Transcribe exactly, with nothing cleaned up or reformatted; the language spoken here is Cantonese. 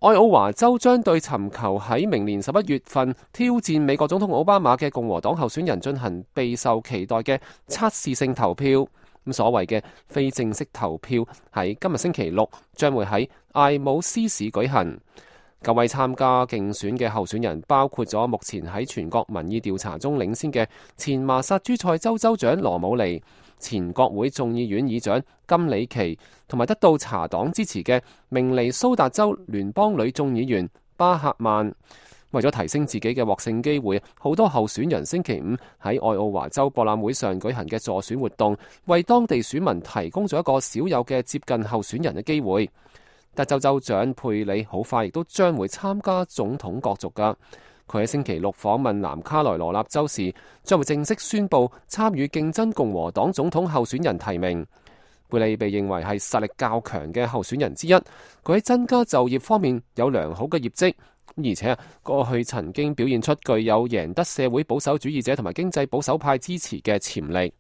愛奧華州將對尋求喺明年十一月份挑戰美國總統奧巴馬嘅共和黨候選人進行備受期待嘅測試性投票。咁所謂嘅非正式投票喺今日星期六將會喺艾姆斯市舉行。九位參加競選嘅候選人包括咗目前喺全國民意調查中領先嘅前麻薩諸塞州州長羅姆尼、前國會眾議院議長金里奇，同埋得到茶黨支持嘅明尼蘇達州聯邦女眾議員巴赫曼。為咗提升自己嘅獲勝機會，好多候選人星期五喺愛奧華州博覽會上舉行嘅助選活動，為當地選民提供咗一個少有嘅接近候選人嘅機會。德州州長佩里好快亦都將會參加總統角逐㗎。佢喺星期六訪問南卡羅來納州時，將會正式宣布參與競爭共和黨總統候選人提名。佩里被認為係實力較強嘅候選人之一，佢喺增加就業方面有良好嘅業績，而且過去曾經表現出具有贏得社會保守主義者同埋經濟保守派支持嘅潛力。